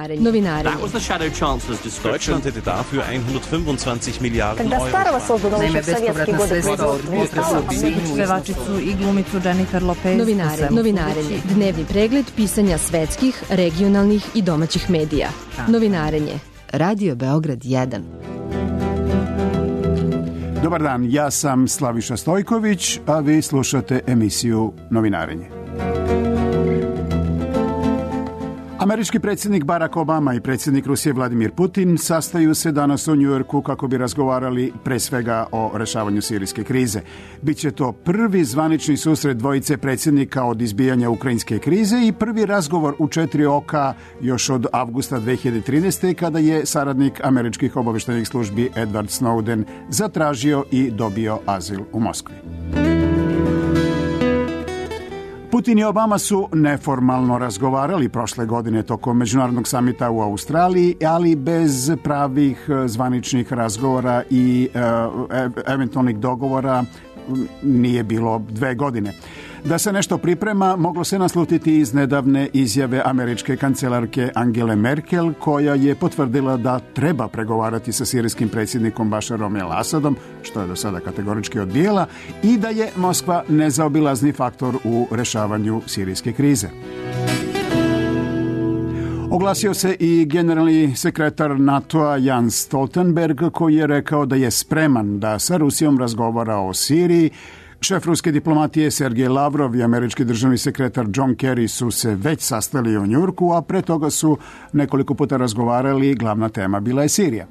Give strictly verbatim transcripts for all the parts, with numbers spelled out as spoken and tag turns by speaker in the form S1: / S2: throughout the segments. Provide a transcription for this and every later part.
S1: Novinarenje. Novinarenje.
S2: That was the shadow chancellor's description.
S3: Deutschland hätte dafür hundertfünfundzwanzig Milliarden Euro.
S4: Naime, bespovratna sredstva od pevačicu i glumicu Jennifer Lopez.
S1: Novinarenje. Novinarenje. Dnevni pregled pisanja svetskih, regionalnih i domaćih medija. Novinarenje. Radio Beograd jedan.
S5: Dobar dan, ja sam Slaviša Stojković, a vi slušate emisiju Novinarenje. Američki predsjednik Barack Obama i predsjednik Rusije Vladimir Putin sastaju se danas u Njujorku kako bi razgovarali pre svega o rešavanju sirijske krize. Biće to prvi zvanični susret dvojice predsjednika od izbijanja ukrajinske krize i prvi razgovor u četiri oka još od avgusta dve hiljade trinaeste. kada je saradnik američkih obavještajnih službi Edward Snowden zatražio i dobio azil u Moskvi. Putin i Obama su neformalno razgovarali prošle godine tokom međunarodnog samita u Australiji, ali bez pravih zvaničnih razgovora i e, eventualnih dogovora nije bilo dve godine. Da se nešto priprema, moglo se naslutiti iz nedavne izjave američke kancelarke Angele Merkel, koja je potvrdila da treba pregovarati sa sirijskim predsjednikom Bašarom el-Asadom, što je do sada kategorički odbijela, i da je Moskva nezaobilazni faktor u rešavanju sirijske krize. Oglasio se i generalni sekretar NATO-a Jens Stoltenberg, koji je rekao da je spreman da sa Rusijom razgovara o Siriji. Šef ruske diplomatije Sergej Lavrov i američki državni sekretar John Kerry su se već sastali u Njujorku, a pre toga su nekoliko puta razgovarali, glavna tema bila je Sirija.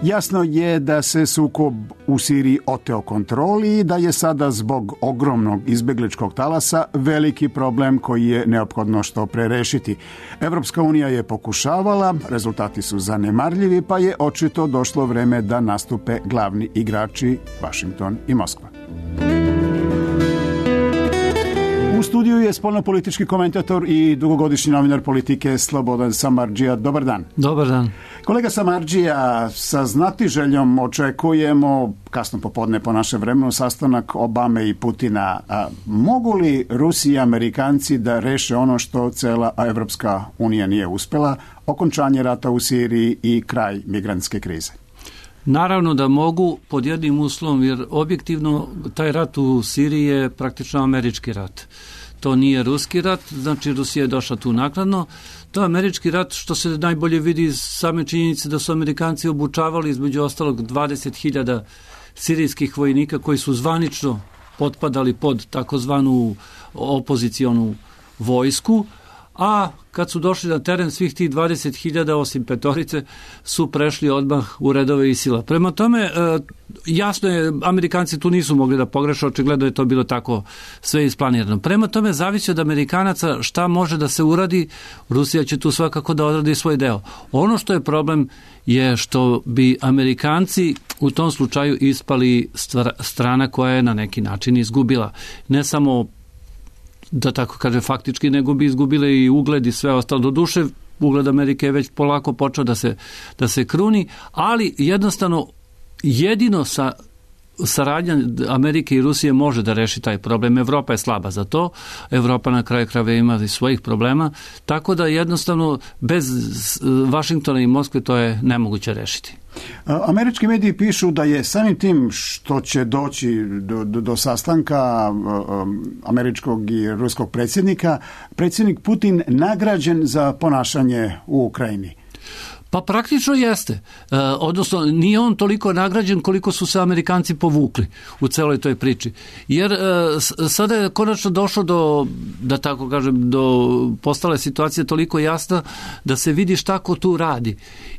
S5: Jasno je da se sukob u Siriji oteo kontroli i da je sada zbog ogromnog izbegličkog talasa veliki problem koji je neophodno što pre rešiti. Evropska unija je pokušavala, rezultati su zanemarljivi, pa je očito došlo vreme da nastupe glavni igrači Vašington i Moskva. U studiju je spoljnopolitički komentator i dugogodišnji novinar politike Slobodan Samardžija. Dobar dan.
S6: Dobar dan.
S5: Kolega Samardžija, sa znatiželjom očekujemo, kasno popodne po našem vremenu, sastanak Obame i Putina. A mogu li Rusi i Amerikanci da reše ono što cela Evropska unija nije uspela, okončanje rata u Siriji i kraj migrantske krize?
S6: Naravno da mogu, pod jednim uslovom, jer objektivno taj rat u Siriji je praktično američki rat. To nije ruski rat, znači Rusija je došla tu naknadno. To je američki rat, što se najbolje vidi iz same činjenice da su Amerikanci obučavali između ostalog dvadeset hiljada sirijskih vojnika koji su zvanično potpadali pod takozvanu opozicionu vojsku, a kad su došli na teren, svih tih dvadeset hiljada osim petorice su prešli odmah u redove ISIL-a. Prema tome, jasno je, Amerikanci tu nisu mogli da pogreše, očigledno je to bilo tako sve isplanirano. Prema tome, zavisi od Amerikanaca šta može da se uradi, Rusija će tu svakako da odradi svoj deo. Ono što je problem je što bi Amerikanci u tom slučaju ispali strana koja je na neki način izgubila. Ne samo da tako kaže faktički, nego bi izgubile i ugled i sve ostalo. Do duše, ugled Amerike je već polako počeo da se, da se kruni, ali jednostavno jedino sa saradnja Amerike i Rusije može da reši taj problem. Evropa je slaba za to, Evropa na kraju krajeva ima i svojih problema, tako da jednostavno bez Vašingtona i Moskve to je nemoguće rešiti.
S5: Američki mediji pišu da je samim tim što će doći do, do, do sastanka američkog i ruskog predsjednika, predsjednik Putin nagrađen za ponašanje u Ukrajini.
S6: Pa praktično jeste. E, odnosno, nije on toliko nagrađen koliko su se Amerikanci povukli u celoj toj priči. Jer e, sada je konačno došlo do, da tako kažem, do postale situacije toliko jasna da se vidi šta ko tu radi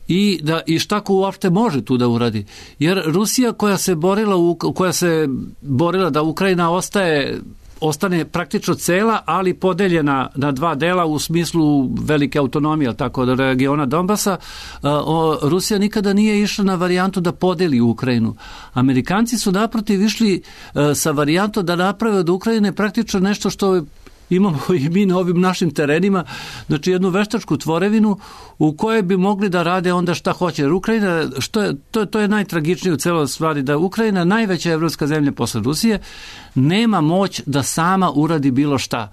S6: i, da, i šta ko uopšte može tu da uradi. Jer Rusija koja se borila, u, koja se borila da Ukrajina ostaje ostane praktično cela, ali podeljena na dva dela u smislu velike autonomije, tako da regiona Donbasa, Rusija nikada nije išla na varijantu da podeli Ukrajinu. Amerikanci su naprotiv išli sa varijantom da naprave od Ukrajine praktično nešto što imamo i mi na ovim našim terenima, znači jednu veštačku tvorevinu u kojoj bi mogli da rade onda šta hoće. Jer Ukrajina, što je, to, to je najtragičnije u celoj stvari, da Ukrajina, najveća evropska zemlja posle Rusije, nema moć da sama uradi bilo šta.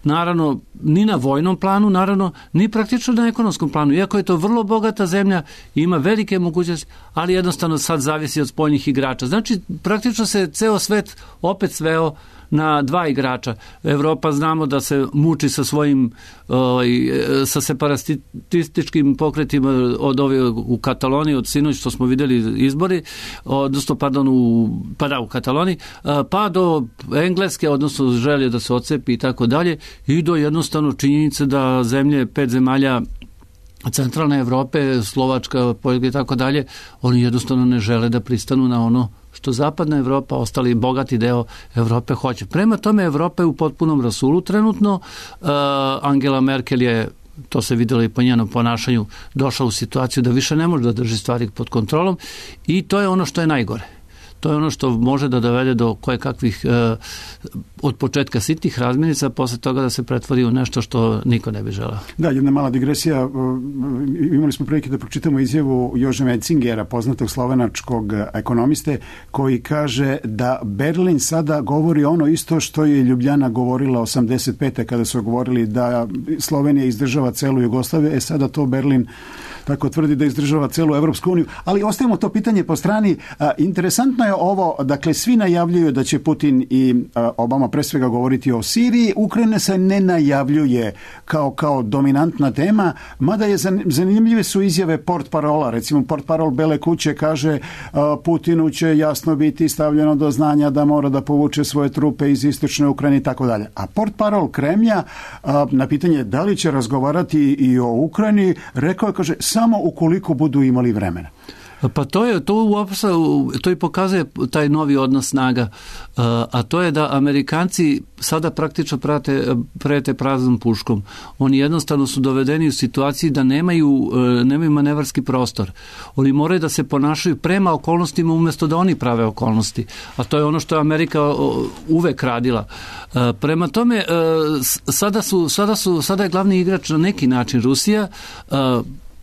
S6: naravno ni na vojnom planu, naravno ni praktično na ekonomskom planu. Iako je to vrlo bogata zemlja, ima velike mogućnosti, ali jednostavno sad zavisi od spoljnih igrača. Znači, praktično se ceo svet opet sveo na dva igrača. Evropa znamo da se muči sa svojim ovaj, sa separatističkim pokretima od ove u Kataloniji, od sinoć što smo vidjeli izbori, odnosno pardon u, pa da, u Kataloniji, pa do Engleske, odnosno želje da se odcepi i tako dalje, i do jednostavno činjenice da zemlje, pet zemalja centralne Evrope, Slovačka, Poljska i tako dalje, oni jednostavno ne žele da pristanu na ono što zapadna Evropa, ostali bogati deo Evrope hoće. Prema tome, Evropa je u potpunom rasulu trenutno. Uh, Angela Merkel je, to se vidjelo i po njenom ponašanju, došla u situaciju da više ne može da drži stvari pod kontrolom i to je ono što je najgore. To je ono što može da dovede do koje kakvih e, od početka sitnih razmirica, posle toga da se pretvori u nešto što niko ne bi želeo.
S5: Da, jedna mala digresija. Imali smo prilike da pročitamo izjavu Jože Metzingera, poznatog slovenačkog ekonomiste, koji kaže da Berlin sada govori ono isto što je Ljubljana govorila osamdeset pete kada su govorili da Slovenija izdržava celu Jugoslaviju, e sada to Berlin tako tvrdi da izdržava celu Evropsku uniju. Ali ostavimo to pitanje po strani. A, interesantno je ovo, dakle, svi najavljuju da će Putin i a, Obama pre svega govoriti o Siriji. Ukrajina se ne najavljuje kao, kao dominantna tema, mada je zanimljive su izjave portparola. Recimo, portparol Bele kuće kaže a, Putinu će jasno biti stavljeno do znanja da mora da povuče svoje trupe iz istočne Ukrajine i tako dalje. A portparol Kremlja a, na pitanje da li će razgovarati i o Ukrajini, rekao je, kaže, samo ukoliko budu imali vremena.
S6: Pa to je, to uopšte, to i pokazuje taj novi odnos snaga, a to je da Amerikanci sada praktično prate, prete praznom puškom. Oni jednostavno su dovedeni u situaciji da nemaju, nemaju manevarski prostor. Oni moraju da se ponašaju prema okolnostima umjesto da oni prave okolnosti. A to je ono što je Amerika uvek radila. Prema tome, sada, su, sada, su, sada je glavni igrač na neki način Rusija.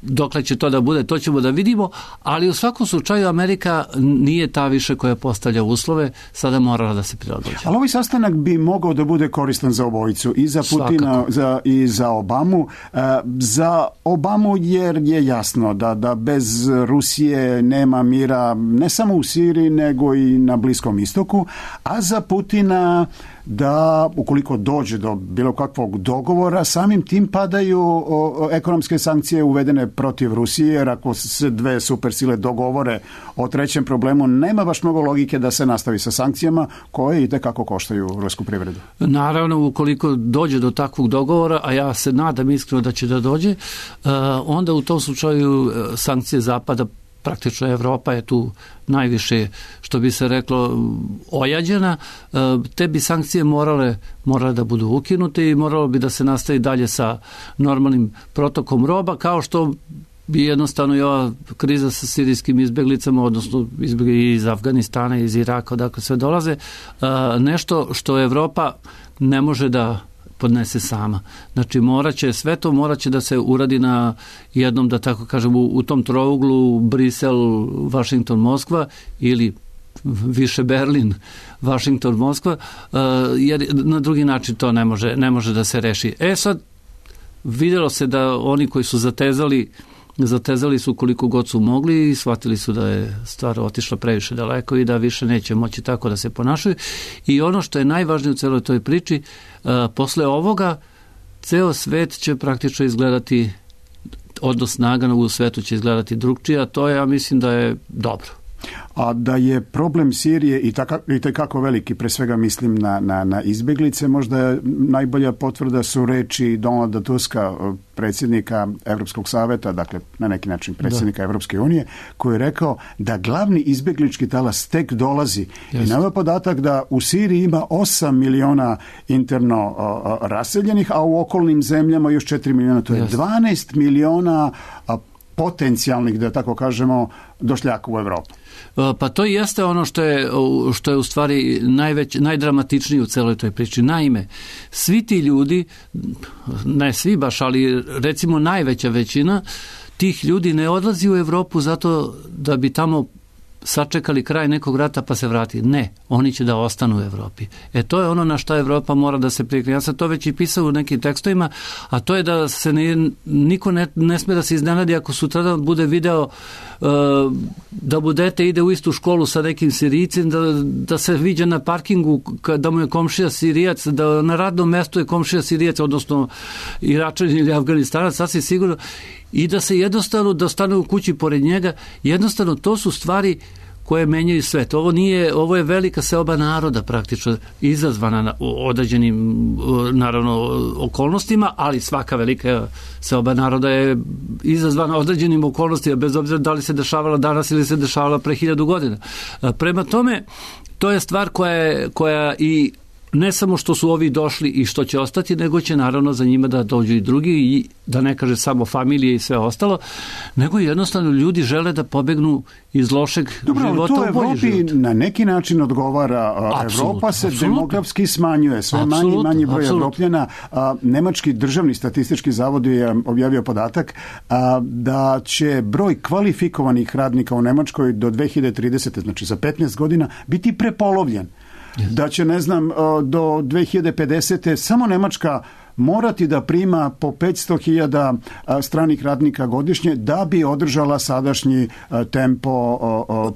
S6: Dokle će to da bude, to ćemo da vidimo, ali u svakom slučaju Amerika nije ta više koja postavlja uslove, sada morala da se prilagođa.
S5: Ali ovaj sastanak bi mogao da bude koristan za obojicu, i za Putina za, i za Obamu. E, za Obamu jer je jasno da, da bez Rusije nema mira ne samo u Siriji, nego i na Bliskom istoku, a za Putina da ukoliko dođe do bilo kakvog dogovora, samim tim padaju o, o, ekonomske sankcije uvedene protiv Rusije, jer ako se dve supersile dogovore o trećem problemu, nema baš mnogo logike da se nastavi sa sankcijama koje i tekako koštaju rusku privredu.
S6: Naravno, ukoliko dođe do takvog dogovora, a ja se nadam iskreno da će da dođe, onda u tom slučaju sankcije Zapada, praktično Evropa je tu najviše, što bi se reklo, ojađena. Te bi sankcije morale, morale da budu ukinute i moralo bi da se nastavi dalje sa normalnim protokom roba, kao što bi jednostavno i ova kriza sa sirijskim izbeglicama, odnosno izbjegli iz Afganistana, iz Iraka, odakle sve dolaze, nešto što Evropa ne može da podnese sama. Znači, moraće, sve to moraće da se uradi na jednom, da tako kažem, u, u tom trouglu Brisel, Washington, Moskva ili više Berlin, Washington, Moskva, uh, jer na drugi način to ne može, ne može da se reši. E sad, vidjelo se da oni koji su zatezali zatezali su koliko god su mogli i shvatili su da je stvar otišla previše daleko i da više neće moći tako da se ponašaju. I ono što je najvažnije u celoj toj priči, uh, posle ovoga ceo svet će praktično izgledati, odnos snaga u svetu će izgledati drugčije, a to je, ja mislim da je dobro.
S5: A da je problem Sirije i, taka, i tekako veliki, pre svega mislim na, na, na izbeglice, možda je najbolja potvrda su reči Donalda Tuska, predsjednika Evropskog saveta, dakle na neki način predsjednika da. Evropske unije, koji je rekao da glavni izbeglički talas tek dolazi. Yes. I na ovaj podatak da u Siriji ima osam miliona interno a, a, raseljenih, a u okolnim zemljama još četiri miliona, to je yes. dvanaest miliona a, potencijalnih, da tako kažemo, došljaka u Evropu.
S6: Pa to jeste ono što je, što je u stvari najveć, najdramatičnije u celoj toj priči. Naime, svi ti ljudi, ne svi baš, ali recimo najveća većina tih ljudi ne odlazi u Evropu zato da bi tamo sačekali kraj nekog rata pa se vrati. Ne, oni će da ostanu u Evropi. E to je ono na što Evropa mora da se prikne. Ja sam to već i pisao u nekim tekstovima, a to je da se ne, niko ne, ne sme da se iznenadi ako sutra bude video uh, da budete ide u istu školu sa nekim Sirijcem, da, da se viđa na parkingu da mu je komšija Sirijac, da na radnom mestu je komšija Sirijac, odnosno Iračanin ili Afganistanac, sasvim sigurno, i da se jednostavno, da stane u kući pored njega, jednostavno to su stvari koje menjaju svet. Ovo nije, ovo je velika seoba naroda praktično izazvana na određenim naravno okolnostima, ali svaka velika seoba naroda je izazvana određenim okolnostima, bez obzira da li se dešavala danas ili se dešavala pre hiljadu godina. Prema tome, to je stvar koja, je, koja i ne samo što su ovi došli i što će ostati, nego će naravno za njima da dođu i drugi i da ne kaže samo familije i sve ostalo, nego jednostavno ljudi žele da pobegnu iz lošeg
S5: Dobro,
S6: života u bolji život.
S5: Evropi na neki način odgovara. Absolutno, Evropa se absolutno. demografski smanjuje, sve absolutno, manji i manji broj absolutno. Evropljana. Nemački državni statistički zavod je objavio podatak da će broj kvalifikovanih radnika u Nemačkoj do dve hiljade tridesete. znači za petnaest godina, biti prepolovljen. Da će, ne znam, do dve hiljade pedesete. samo Nemačka morati da prima po petsto hiljada stranih radnika godišnje da bi održala sadašnji tempo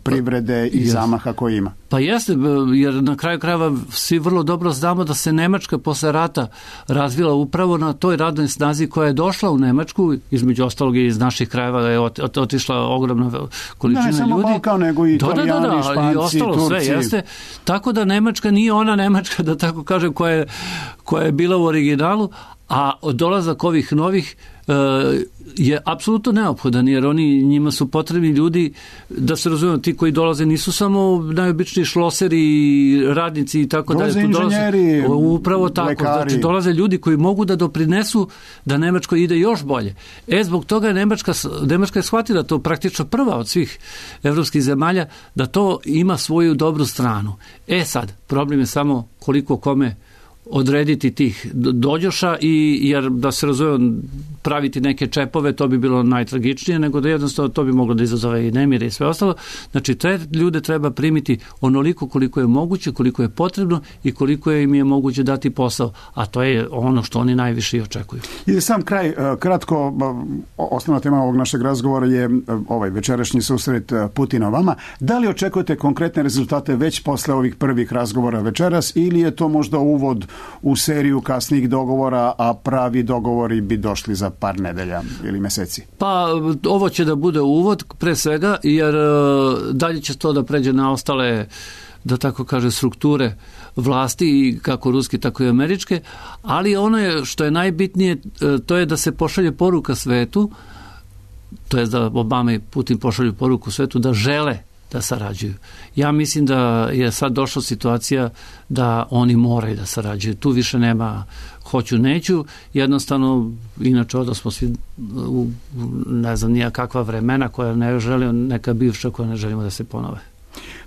S5: privrede i zamaha koji ima.
S6: Pa jeste, jer na kraju krajeva svi vrlo dobro znamo da se Nemačka posle rata razvila upravo na toj radnoj snazi koja je došla u Nemačku, između ostalog i iz naših krajeva je otišla ogromna količina ljudi.
S5: Ne samo Balkan, nego i Italijani, da, da, da, Španci, i ostalo, Turci. Sve, jeste. Tako da Nemačka nije ona Nemačka, da tako kažem, koja je, koja je bila u originalu, a dolazak ovih novih je apsolutno neophodan, jer oni, njima su potrebni ljudi, da se razumiju, ti koji dolaze nisu samo najobičniji šloseri, radnici i tako dalje. Dolaze inženjeri,
S6: upravo tako,
S5: lekari.
S6: Znači dolaze ljudi koji mogu da doprinesu da Nemačko ide još bolje. E, zbog toga je Nemačka, Nemačka je shvatila to praktično prva od svih evropskih zemalja, da to ima svoju dobru stranu. E sad, problem je samo koliko kome odrediti tih dođoša, i jer da se razumije praviti neke čepove, to bi bilo najtragičnije, nego da jednostavno to bi moglo da izazove i nemire i sve ostalo. Znači, te ljude treba primiti onoliko koliko je moguće, koliko je potrebno i koliko im je moguće dati posao, a to je ono što oni najviše i očekuju.
S5: I za sam kraj, kratko, osnovna tema ovog našeg razgovora je ovaj večerašnji susret Putina vama. Da li očekujete konkretne rezultate već posle ovih prvih razgovora večeras, ili je to možda uvod u seriju kasnijih dogovora, a pravi dogovori bi došli za par nedelja ili meseci?
S6: Pa ovo će da bude uvod pre svega, jer dalje će to da pređe na ostale, da tako kaže, strukture vlasti, kako ruske, tako i američke, ali ono je što je najbitnije, to je da se pošalje poruka svetu, to je da Obama i Putin pošalju poruku svetu da žele da sarađuju. Ja mislim da je sad došla situacija da oni moraju da sarađuju. Tu više nema hoću, neću. Jednostavno, inače da smo svi u, ne znam, nija kakva vremena koja ne želimo, neka bivša koja ne želimo da se ponove.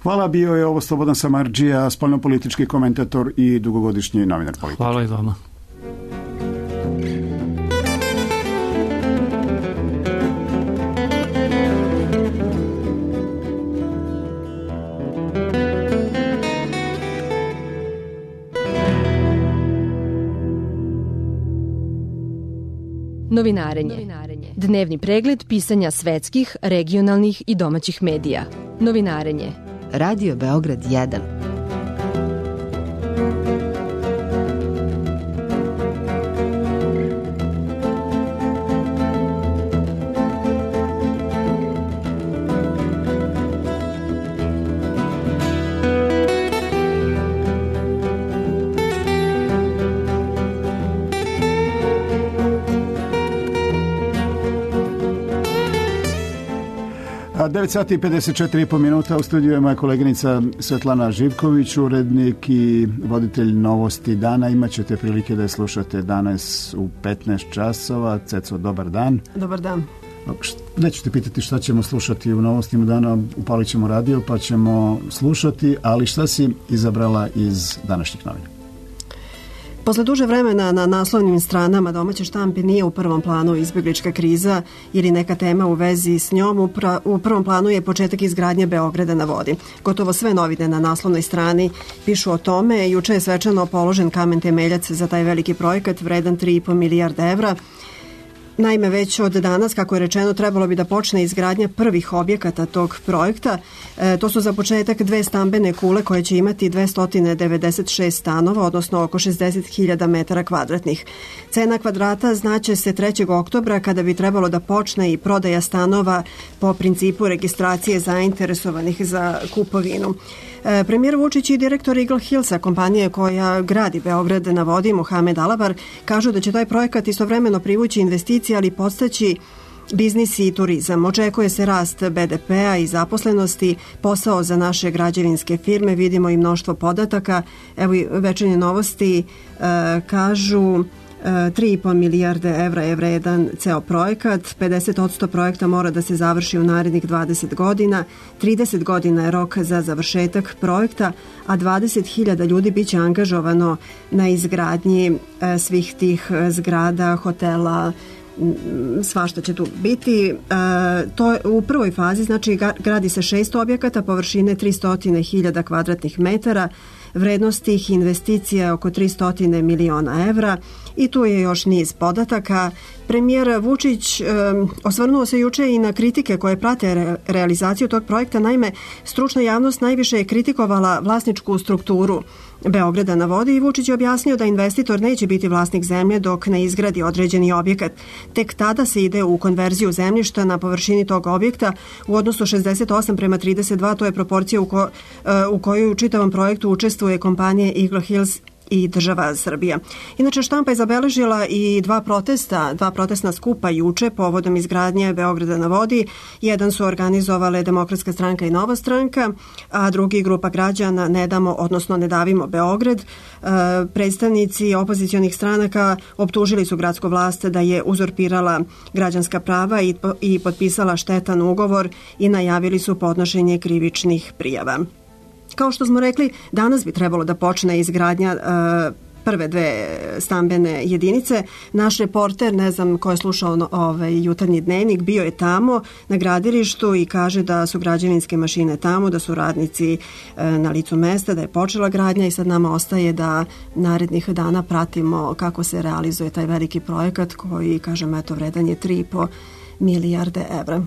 S5: Hvala, bio je ovo Slobodan Samardžija, spoljnopolitički komentator i dugogodišnji novinar politike.
S6: Hvala i vama.
S1: Novinarenje. Dnevni pregled pisanja svetskih, regionalnih i domaćih medija. Novinarenje. Radio Beograd jedan.
S5: devet sati i pedeset četiri i po minuta, u studiju je moja koleginica Svetlana Živković, urednik i voditelj Novosti dana. Imaćete prilike da je slušate danas u petnaest časova. Ceco, dobar dan.
S2: Dobar dan.
S5: Neću te pitati šta ćemo slušati u Novostima dana, upalit ćemo radio pa ćemo slušati, ali šta si izabrala iz današnjih novina?
S2: Posle duže vremena na naslovnim stranama domaće štampe nije u prvom planu izbjeglička kriza ili neka tema u vezi s njom. Upra, u prvom planu je početak izgradnje Beograda na vodi. Gotovo sve novine na naslovnoj strani pišu o tome. Juče je svečano položen kamen temeljac za taj veliki projekat vredan tri i po milijarde evra. Naime, već od danas, kako je rečeno, trebalo bi da počne izgradnja prvih objekata tog projekta. E, to su za početak dve stambene kule koje će imati dvesta devedeset šest stanova, odnosno oko šezdeset hiljada metara kvadratnih. Cena kvadrata znaće se trećeg oktobra kada bi trebalo da počne i prodaja stanova po principu registracije zainteresovanih za kupovinu. E, premijer Vučić i direktor Eagle Hillsa, kompanije koja gradi Beograd na vodi, Mohamed Alabar, kažu da će taj projekat istovremeno privući investicije, ali podstaći biznis i turizam. Očekuje se rast be de pea i zaposlenosti, posao za naše građevinske firme, vidimo i mnoštvo podataka. Evo i Večernje novosti e, kažu tri i po milijarde evra je vredan ceo projekat, pedeset posto projekta mora da se završi u narednih dvadeset godina, trideset godina je rok za završetak projekta, a dvadeset hiljada ljudi biće angažovano na izgradnji svih tih zgrada, hotela, svašta će tu biti. E, to je u prvoj fazi, znači gradi se šest objekata, površine tristo hiljada kvadratnih metara, vrednost tih investicija je oko tristo miliona evra i tu je još niz podataka. Premijer Vučić e, osvrnuo se juče i na kritike koje prate re, realizaciju tog projekta. Naime, stručna javnost najviše je kritikovala vlasničku strukturu Beograda na vodi i Vučić je objasnio da investitor neće biti vlasnik zemlje dok ne izgradi određeni objekat. Tek tada se ide u konverziju zemljišta na površini tog objekta u odnosu šezdeset osam prema trideset dva, to je proporcija u, ko, u kojoj u čitavom projektu učestvuje kompanije Eagle Hills i država Srbija. Inače, štampa je zabeležila i dva protesta, dva protestna skupa juče povodom izgradnje Beograda na vodi. Jedan su organizovale Demokratska stranka i Nova stranka, a drugi grupa građana Ne damo, odnosno Ne davimo Beograd. E, predstavnici opozicionih stranaka optužili su gradsku vlast da je uzurpirala građanska prava i, i potpisala štetan ugovor i najavili su podnošenje krivičnih prijava. Kao što smo rekli, danas bi trebalo da počne izgradnja uh, prve dve stambene jedinice. Naš reporter, ne znam ko je slušao ovaj jutarnji dnevnik, bio je tamo na gradilištu i kaže da su građevinske mašine tamo, da su radnici uh, na licu mesta, da je počela gradnja i sad nama ostaje da narednih dana pratimo kako se realizuje taj veliki projekat koji, kažem, eto, vredan je tri i po milijarde evra.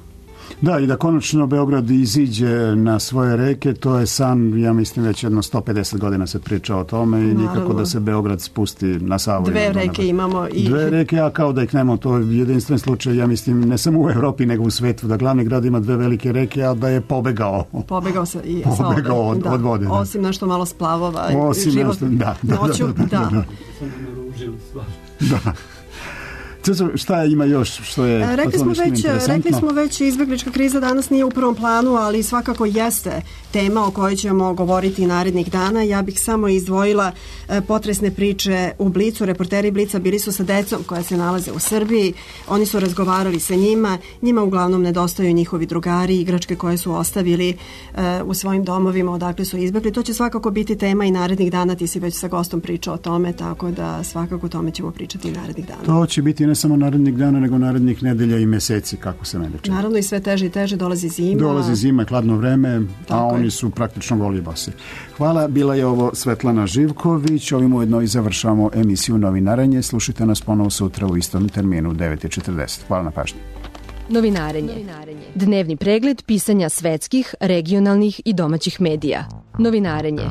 S5: Da, i da konačno Beograd iziđe na svoje reke, to je san, ja mislim, već jedno sto pedeset godina se priča o tome i nikako Naravno. Da se Beograd spusti na Savu.
S2: Dve reke na... imamo. I...
S5: Dve reke, a kao da ih nemamo, to je jedinstven slučaj, ja mislim, ne samo u Evropi, nego u svetu, da glavni grad ima dve velike reke, a da je pobegao.
S2: Pobegao se i
S5: pobegao od,
S2: da.
S5: od vode. Da.
S2: Osim nešto malo splavova.
S5: Osim
S2: život
S5: nešto, da. Da,
S2: noću,
S5: da.
S2: da.
S5: Da. da. da. Šta ima još što je
S2: rekli smo već rekli smo već izbjeglička kriza danas nije u prvom planu, ali svakako jeste tema o kojoj ćemo govoriti narednih dana. Ja bih samo izdvojila potresne priče u Blicu. Reporteri Blica bili su sa decom koja se nalaze u Srbiji. Oni su razgovarali sa njima. Njima uglavnom nedostaju njihovi drugari, igračke koje su ostavili u svojim domovima odakle su izbjegli. To će svakako biti tema i narednih dana. Ti si već sa gostom pričao o tome, tako da svakako o tome ćemo pričati i narednih dana.
S5: To će biti ne samo narednih dana, nego narednih nedelja i meseci, kako se mene čini.
S2: Naravno i sve teže i teže, dolazi zima.
S5: Dolazi zima, hladno vreme, tako a oni je. Su praktično goli basi. Hvala, bila je ovo Svetlana Živković, ovim ujedno i završavamo emisiju Novinarenje. Slušajte nas ponovo sutra u istom terminu u devet i četrdeset. Hvala na pažnji.
S1: Novinarenje. Novinarenje. Dnevni pregled pisanja svetskih, regionalnih i domaćih medija. Novinarenje.